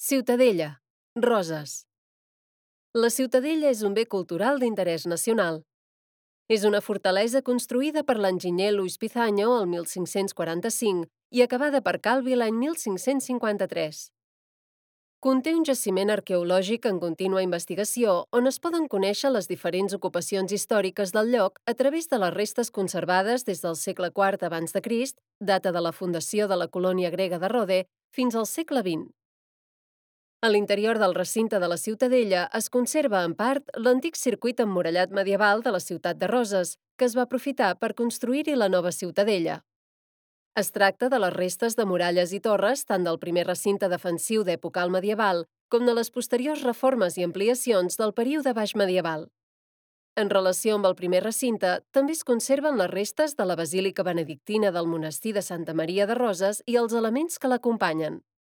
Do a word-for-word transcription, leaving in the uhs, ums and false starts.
Ciutadella, Roses. La Ciutadella és un bé cultural d'interès nacional. És una fortalesa construïda per l'enginyer Luis Pizanyo el mil cinc-cents quaranta-cinc i acabada per Calvi l'any mil cinc-cents cinquanta-tres. Conté un jaciment arqueològic en contínua investigació on es poden conèixer les diferents ocupacions històriques del lloc a través de les restes conservades des del segle quart abans de Crist, data de la fundació de la colònia grega de Rode, fins al segle vint. A l'interior del recinte de la Ciutadella es conserva, en part, l'antic circuit emmurallat medieval de la ciutat de Roses, que es va aprofitar per construir-hi la nova Ciutadella. Es tracta de les restes de muralles i torres tant del primer recinte defensiu d'època alt medieval com de les posteriors reformes i ampliacions del període baix medieval. En relació amb el primer recinte, també es conserven les restes de la basílica benedictina del monestir de Santa Maria de Roses i els elements que l'acompanyen.